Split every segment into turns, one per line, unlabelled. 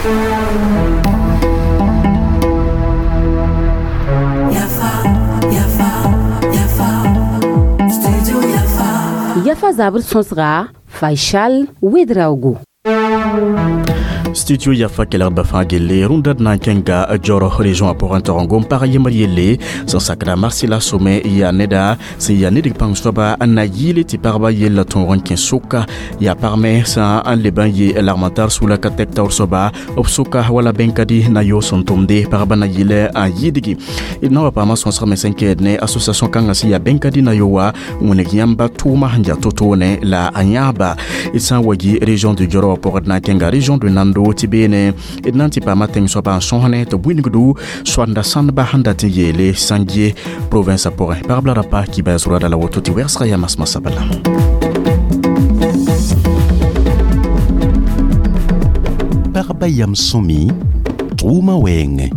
Yafa zabr sõsga Faisal Ouedraogo.
Studio Yafa kelgdbã fãa gelle rũndã d na n kẽnga Dioro région a pʋgẽ tɩ gom pag yembr yelle sẽn sakda Marsila Somɛ yaa neda sẽn yaa ned pãng soaba n na yɩɩle tɩ pagba yella tõog n kẽ soka yaa pag me sã n leb n yɩ lagm tar sula ka tɛk taoor soaba b soka wala bẽnkadi na yoos sẽn tʋmde pagba na yɩl n yɩɩdgi d na wa paama sõsg me sẽn kɛɛd ne association kãngã sẽn yaa bẽnkadi na yo wa wẽneg yãmba tʋʋma sẽn yaa to-toone la a yãaba d sã n wa yi région de Dioro wã pʋgd na n kẽnga région de Nando tɩ beene d na n tɩ paama tẽng soaba n sõsne tɩ buingdu soanda sãndba sẽn dat n yeele Sanguie province a pʋgẽ pagb la rapa kibaya zʋrada la woto tɩ wɛgsga yaa masmasã bala.
Pagba yam sõmi tʋʋma wɛɛngẽ.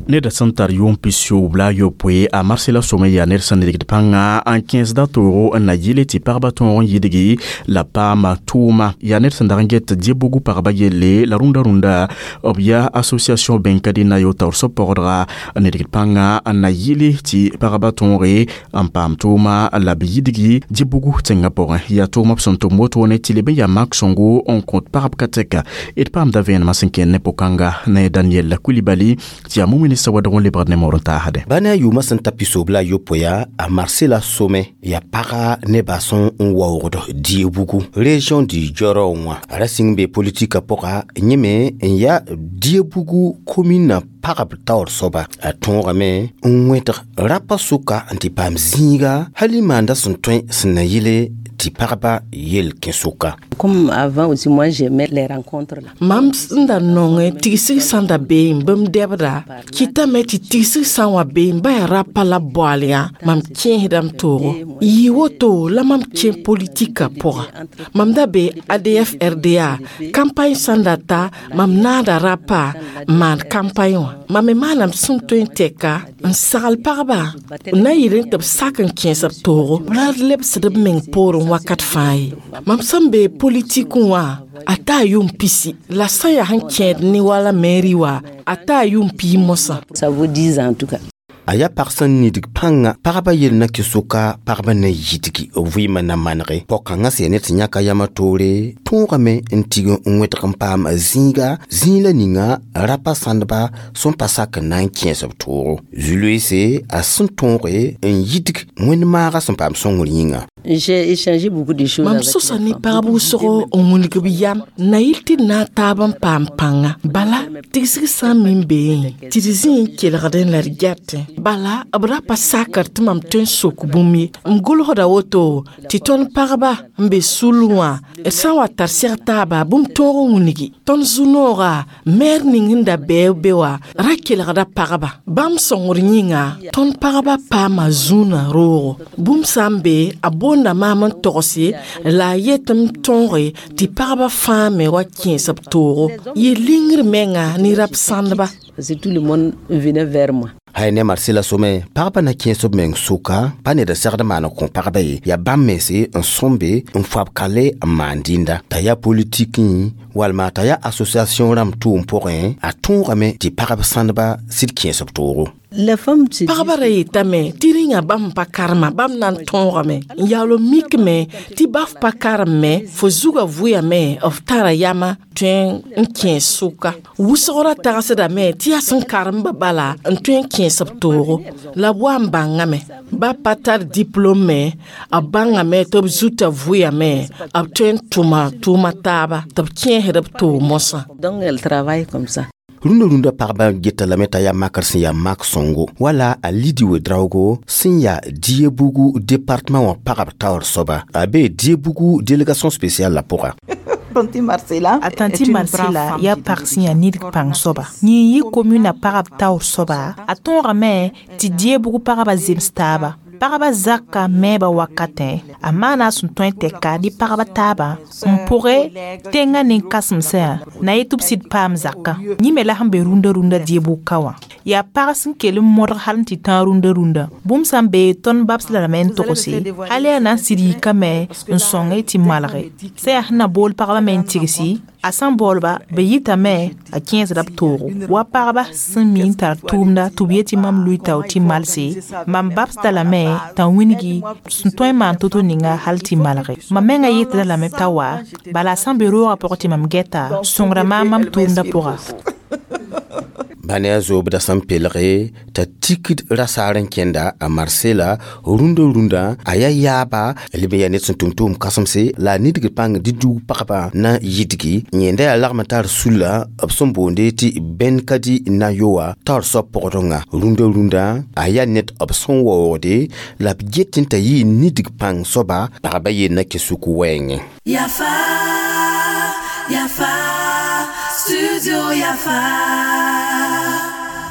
Ned sẽn tar yʋʋm pisiob la a yopoe a Marsila Somɛ yaa ned sẽn nidgd pãnga n kẽesda toogo n na yɩle tɩ pagba tõog n yidgi la paama tʋʋma yaa ned sẽn dag n get Diebougou pagba yelle la rũndã rũndã b yaa association bẽnkadi na yo taoor soab pɔgdga n nidgd pãnga n na yɩle tɩ pagba tõoge n paam tʋʋma la b yidgi Diebougou tẽngã pʋgẽ yaa tʋʋma b sẽn tʋm wotone tɩ leb n yaa mak sõngo n kõt pagb ka tɛka d paamda vẽenemã sẽn kẽnd ne pʋ-kãnga ne Daniel Coulibaly tɩ yaa mumini sawadg n lebgd ne moor n taasde.
Ba ne a yʋʋmã sẽn ta pisob la a yopoe yaa a Marsila Somɛ yaa paga nebã sẽn n waoogd Diebougou région du Dioro wã a ra sɩng be politika pʋga yẽ me n yaa Diebougou commune pagb taoor soaba a tõogame n wẽtg rapa sʋka n tɩ paam zĩiga hal y maanda sẽn tõe sẽn na yɩle tɩ pagba yel kẽ sʋka.
Comme avant aussi, moi j'aimais les rencontres là.
Mam sẽn da nongẽ tigsg sã n da bee n bãmb dɛbda kɩtame tɩ tigsg sã n wa bee n ba yaa rapa la boaal yã mam kẽesdame toogo yɩ woto la mam kẽ politika pʋga mam da be ADF RDA campagne sã n da ta mam naada rapa n maan campagne wã mam me maanam sẽn tõe n tɛka n sagl pagba n na yɩl n tɩ b sak n kẽes b toogo ra lebsd b meng poorẽ wakat fãa ye mam sẽn be politik wã a taa yʋʋm pisi la sã yaa sẽn kẽed ne wala mairie wã a taa yʋʋm pii mosã.
Ça vaut 10 ans en tout cas.
A yaa pag sẽn nidg pãnga pagba yel na kɩ sʋka pagba na yidgi b vɩɩmã na manege pɔg-kãngã sẽn yaa ned sẽn yãka yamã toore tõogame n tig n wẽtg n paam zĩiga zĩig la ninga rapa sãndba sẽn pa sak n na n kẽes b toogo zu-loeese a sẽn tõoge n yidg wẽnd-maagã sẽn paam sõngr yĩnga.
J'ai échangé beaucoup de choses
mam
avec
sosa
les
ne
femmes.
pagb wʋsgo n wilg b yam na yɩl tɩ d na n taab n paam pãnga bala tigsg sã n min beẽ tɩ d zĩ n kelgdẽ la d gɛtẽ bala b ra pa sakr tɩ mam tõe n sok bũmb ye m gʋlsda woto tɩ tõnd pagba n be sul wã d sã n wa tar sɛg taaba bũmb tõog n wilgi tõnd zu-nooga maire ning sẽn da bɛɛ be wã ra kelgda pagba bãmb sõngr yĩnga tõnd pagba paama zũnã roogo bũmb sã n be a boonda maam n togse la a yet m tõoge tɩ pagba fãa me wa kẽes b toogo yɩ lingr menga ne rap sãndba.
Parce que tout le monde venait vers moi.
Hay ne Marsila Somɛ pagba na kẽes b meng sʋka pa ned n segd maan n kõ pagba ye yaa bãmb mense n sõmbe n foab kale n maan dĩnda t'a yaa politikẽ walma t'a yaa association rãmb tʋʋm pʋgẽ a tõogame tɩ pagb sãndba sɩd kẽes b toogo.
Les femmes se
Pagba ra yetame tɩ rĩnga bãmb pa karema bãmb na n tõogame n yaool n mikme tɩ baf pa karem fo zugã vʋyame f tara yama tõe n kẽes sʋka wʋsg ra tagsdame tɩ yaa sẽn karemba bala n tõe n kẽes b toogo la b wa n bãngame ba pa tar diplôme me b bãngame tɩ b zuta vʋyame b tõe n tʋma tʋʋma taaba tɩ b kẽesd b toog mosã.
Donc elle travaille comme ça.
Rũndã rũndã pagba geta lame t'a yaa makr sẽn yaa mak sõngo wala a Lidi Ouedraogo sẽn yaa Diebougou département wã pagb taoor soaba a bee Diebougou délégation spéciale la pʋga.
A tãnti Marsila yaa pag sẽn yaa nidg pãng soaba yĩn yɩ commune pagb taoor soaba a tõogame tɩ Diebougou pagba zems taaba pagba zaka mɛɛba wakatẽ a maana a sẽn tõe n tɛka ne pagba taabã n pʋgẽ tẽngã nin-kãsemsã na yetɩ b sɩd paam zakã yẽ me la sẽn be rũndã rũndã Dieboug ka wã Yaa pag sẽn kell n modg hal n tɩ tãag rũndã rũndã. Bũmb sã n bee tõnd babs la rame n togse, hal yaa na n sɩd yikame n sõng tɩ malge. Sã yaa sẽn na bool pagba me n tigsi, a sã n baoolba b yitame a kẽesda b toogo. Wa pagba sẽn mi n tar tʋʋmda tɩ b yet tɩ mam lʋɩ tao tɩ malse, mam babsda lame t'a wĩngi sẽn tõe n maan to-to ninga hal tɩ malge. Mam menga yetda lame t'a wa, bala a sã n be roogã pʋgẽ tɩ mam gɛta, sõngra maam mam tʋʋmdã pʋga.
Bãn yaa zoobdã sẽn pelge t'a tikd rasaar n kẽnda a Marsela rũndã rũndã a yaa yaaba leb n yaa ned sẽn tʋm tʋʋm kãsemse la a nidgd pãng dɩ-dug pagba na yidgi yẽnda yaa lagm n tar sulla b sẽn boonde tɩ Bɛnkadi Nayoa taoor soab pʋgdẽnga rũndã rũndã a yaa ned b sẽn waoogde la b get n t'a yɩ nidg pãng soaba pagba yell na kẽ suk wɛɛngẽ.
Yafa, Yafa, Studio Yafa.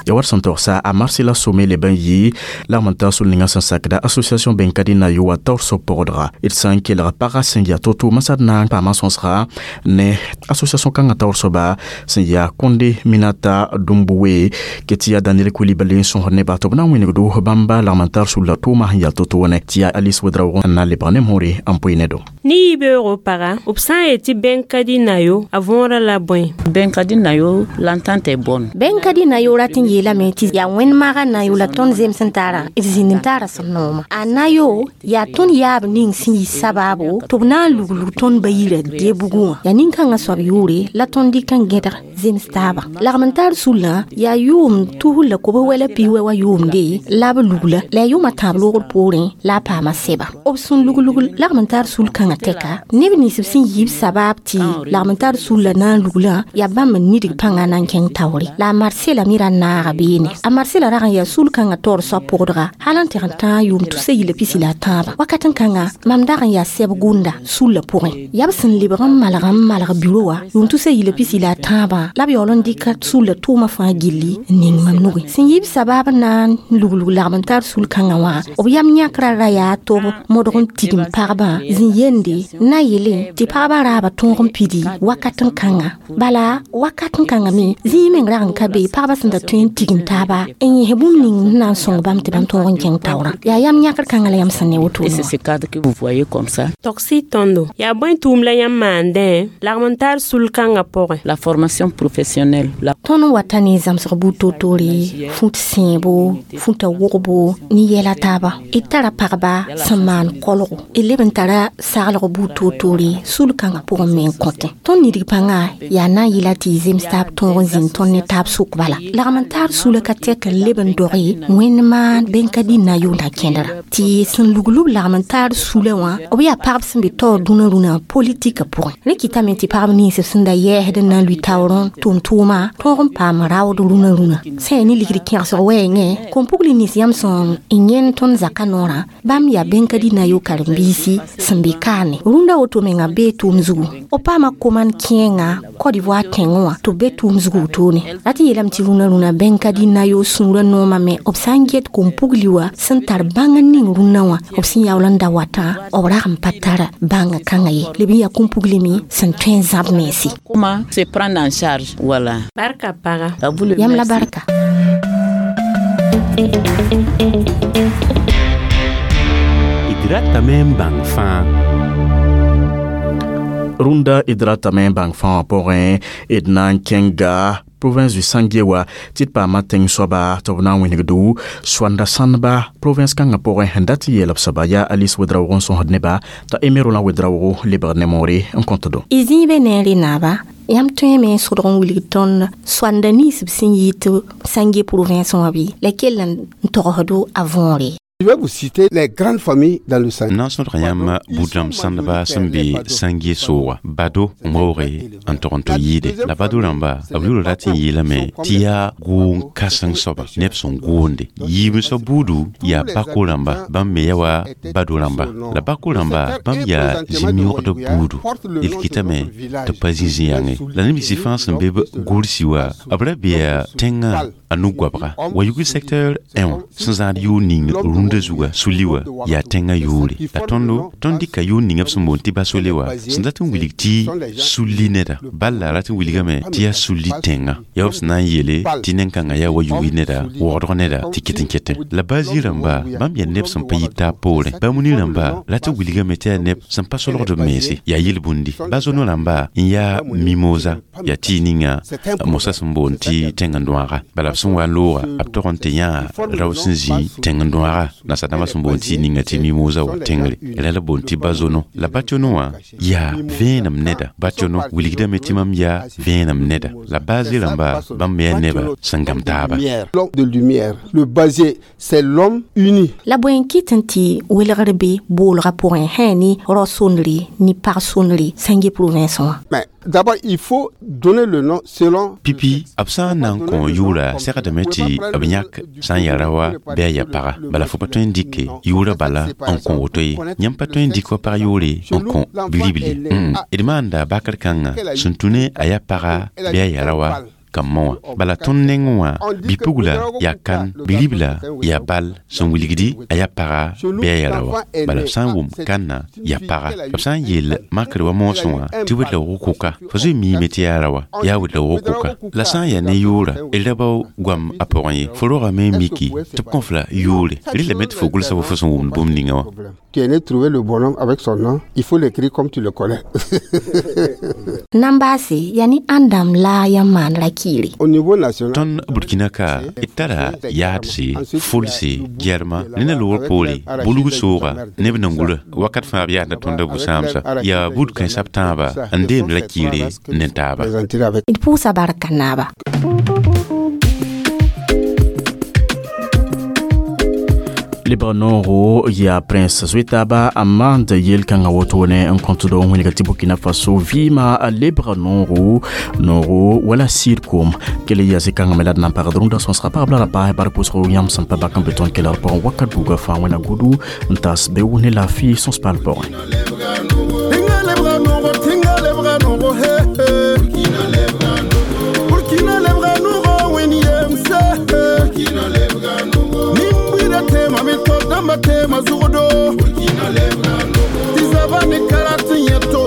Ya war sẽn togsa a Marsela Somé leb n yɩ lagm n tar sul ninga sẽn sakda association Bɛnkadi Nayoa taoor soab pʋgdga. D sã n kelg pagã sẽn yaa to-to masad na n paama sõsga ne association kãngã taoor soaba sẽn yaa Konde Minata Dumbuwe ke tɩ yaa Daniel Coulibaly n sõsd neba tɩ b na n wĩnigdo bãmba lagm n tar sulla tʋʋma sẽn yaa to-to ne tɩ yaa Alice Ouedraogo n na n lebg ne moore n pʋɩ ne do.
Ne yibeoogo paga, b sã n yet tɩ Bɛnkadi Nayo a võorã la bõe?
Bɛnkadi Nayo, l'entente est bonne.
Bɛnkadi Nayo rat n yeelame tɩ yaa wẽnd-maga nayo la tõnd zems n tara d zĩnd n tara sẽn nooma. A nayo yaa tõnd yaab ning sẽn yi sabaabo tɩ b na n luglug tõnd ba yirã debugã wã. Yaa nin-kãngã soab yʋʋre la tõnd dɩk n gẽdg zems taaba. Lagm n tar sullã yaa yʋʋm tusr la kobs wɛla pis-wɛ wa yʋʋmde la b lugla la yaa yʋʋmã tãab loogr poorẽ la a paama sɛba. B sẽn luglug lagm n tar sul kãngã tɛka, neb nins b sẽn yiib sabaab tɩ lagm n tar sulla na n luglã yaa bãmb n nidg pãngã na n kẽng taoore. La a Marsela me ra naaga beene. A Marsela rag n yaa sul kãngã taoor soab pʋgdga hal n tɩg n tãag yʋʋm tusa yila pisi la a tãabã. Wakat n kãnga mam dag n yaa sɛb gʋnda sulla pʋgẽ. Yaa b sẽn lebg n malg n malg biro wã yʋʋm tusa yila pisi la a tãabã la b yaool n dɩka sulla tʋʋmã fãa gilli n ning mam nugẽ. Sẽn yiib sabaab n na n luglug lagm n tar sul kãngã wã, b yam yãkrã ra yaa tɩ b modg n tigim pagbã zĩ-yende na yele tɩ pagbã raaba tõog n pidi wakat n kãnga. Bala wakat n kãnga me zĩig meng rag n ka be pagbã sẽn da tõe n tigim taaba n yẽs bũmb ning n na n sõng bãmb tɩ bãmb tõog n kẽng taoorã. Yaa yam yãkr kãngã la yam sẽn ne woto
Et c'est ce cadre que vous voyez comme ça.
Togsi tõndo yaa bõe tʋʋm la yãmb maandẽ lagm n tar sul kãngã pʋgẽ?
La formation professionnelle. La
Tõnd n wata ne zãmsg buud toor-toore, fũt sẽebo, fũta wogbo ne yɛla taaba. D tara pagba sẽn maan kolgo. D leb n tara saglg buud toor-toore sul kãngã pʋgẽ me n kõtẽ. Tõnd nidg pãngã yaa na n yɩla tɩ y zems taab tõog n zĩnd tõnd ne taab sʋk bala. Lagm n tar sula ka tɛk n leb n doge wẽnd maan Bɛnkadi Nayo na kẽndra. Tɩ sẽn luglb lagm n tar sula wã, b yaa pagb sẽn be taoor dũnã rũnã politika pʋgẽ. Rẽ kɩtame tɩ pagb nins b sẽn da yɛɛsd n na n lʋɩ taoorẽ tʋʋm-tʋʋma tõog n paam raood rũnã rũnã. Sã yaa ne ligd kẽgsg wɛɛngẽ, kom-pugl nins yãmb sẽn n yẽnd tõnd zakã noorã, bãmb yaa Bɛnkadi Nayo karen-biisi sẽn be kaane. Rũndã woto menga bee tʋʋm zugu. B paama koman kẽenga Côte d'Ivoire tẽngẽ wã tɩ b be tʋʋm zugu wotone. Rat n yeelame tɩ rũnã rũnã Bɛnkadi Nayo sũurã noomã me b sã n get kom-pugli wã sẽn tar bãng n ning rũnnã wã, b sẽn yaool n da watã b rag n pa tar bãngã kãngã ye. Leb n yaa kom-pugli me sẽn tõe n zãb mense.
Comment se prendre en charge? Voilà.
Barka paga.
À vous le
Yãmb la
merci.
barka.
D ratame n bãng fãa.
Rũndã d ratame n bãng fãa wã pʋgẽ d na n kẽnga province du Sanguie wa tɩ d paama tẽng soaba tɩ b na n wĩnigdo soanda sãndba province kãngã pʋgẽ sẽn dat n yeel b soaba yaa Alice Ouedraogo n sõsd neba t'a Emerola Ouedraogo lebg ne moore n kõtdo.
Y zĩig be neere naaba, yãmb tõeme n sʋdg n wilg tõnd soanda nins b sẽn yɩ tɩ Sanguie province wã bɩ la kell n togsdo a võore.
Je vais vous citer les grandes familles dans le Sanguie.
N na n sõdg yãmb buud-rãmb sãndba sẽn be Sãnge sooga bado n waooge n tog n tɩ yɩɩde la bado rãmba b yʋʋr rat n yeelame tɩ yaa gʋʋng kãseng soaba neb sẽn gʋʋnde yiib soab buudu yaa bako rãmba bãmb me yaa wa bado rãmba la bako rãmba bãmb yaa zĩ-yõgd buudu d kɩtame tɩ pa zĩ zĩ-yãnge la neb nins fãa sẽn be b gʋrsi wa b ra bea tẽngã a nu-goabga wa yugl secteur 1 wã sẽn zãad yʋʋr ning rũndã Rũndã zuga sulli wã yaa tẽngã yʋʋre. La tõndo, tõnd dɩka yʋʋr ninga b sẽn boond tɩ basole wã sẽn dat n wilg tɩ sulli neda. Bal la rat n wilgame tɩ yaa sulli tẽngã. Yaa b sẽn na n yeele tɩ nen-kãngã yaa wa yugi neda, waoodg neda tɩ ket n ketẽ. La bazi rãmba, bãmb yaa neb sẽn pa yit taab poorẽ. Bamuni rãmba rat n wilgame tɩ yaa neb sẽn pa solgd b mense, yaa yel-bũndi. Bazono rãmba n yaa mimosa, yaa tɩ ninga mosa sẽn boond tɩ tẽng-n-dõaga. Bala b sẽn wa n looga, b tog n tɩ yãa rao sẽn zĩ tẽng-n-dõaga, nasadãmbã sẽn boond tɩ ninga tɩ mimosa wã tẽngre. La la boond tɩ bazono. La bationo wã yaa vẽenem neda. Bationo wilgdame tɩ mam yaa vẽenem neda. La baze rãmba, bãmb me yaa neba sẽn gam taaba.
L'homme de lumière. Le basé, c'est l'homme uni.
La bõe n kɩt n tɩ welgr be boolgã pʋgẽ sã ne rao-sondre ne pag-sondre sẽn ge province wã?
Mais d'abord, il faut donner le nom selon.
Pipi, b sã n na n kõ yʋʋra segdame tɩ b yãk sã n yaa raoã bɩ a yaa paga. Bala fo pa tõe n dɩke yʋʋra bala n kõ woto ye. Yãmb pa tõe n dɩk wa pag yʋʋre n kõ bi-ribl ye. D maanda bakr kãngã sẽn tũ ne a yaa paga bɩ a yaa raoã kambã wã. Bala tõnd nengẽ wã, bi-pugla yaa kan, bi-ribla yaa bal sẽn wilgdi a yaa paga bɩ a yaa raoã. Bala b sã n wʋm kanna yaa paga. B sã n yeel makr wa moosẽ wã tɩ wet-laoog kʋka, fo zoe miime tɩ yaa raoã, yaa wet-laoog kʋka. La sã n yaa ne yʋʋra, d ra bao goam a pʋgẽ ye, fo rogame n miki tɩ b kõ-f la yʋʋre. Rɩlame tɩ fo gʋlsa wa fo sẽn wʋmd bũmb ninga wã.
Tu es né trouver le bonhomme avec son nom, il faut l'écrire comme tu le connais.
Nan baase yaa ne ãndãmb la yãmb maan ra kiire.
Au niveau national,
Tõnd Burkina ka d tara yaadse, fulse, gɛrma ne na loogr poore, bulg sooga ne b nangurã. Wakat fãa b yaadda tõnda bu-sãamsa. Yaa buud kãensã b tãabã n deemd ra kiire ne taaba.
D pʋʋsa barka naaba.
Lebg nooro yaa prince zoe-taaba a maand yel-kãngã wotone n kõt do n wilga tɩ Burkina Faso vɩɩmã lebga nooro nooro wala sɩd koom kell yaa zĩ-kãngã me la d na n pagd rũndã sõsga pagb la ra paas bark pʋsgo yãmb sẽn pa bak n be tõnd kelgr pʋgẽ wakat buugã fãa wẽna gudu n tas be wʋs ne laafɩ sõs paal pʋgẽ.
Burkina lebga nogo wẽn yemse. Nin-buiidã teema me to dãmbã teema zugdo. Tɩ zaba ne karat n yẽ to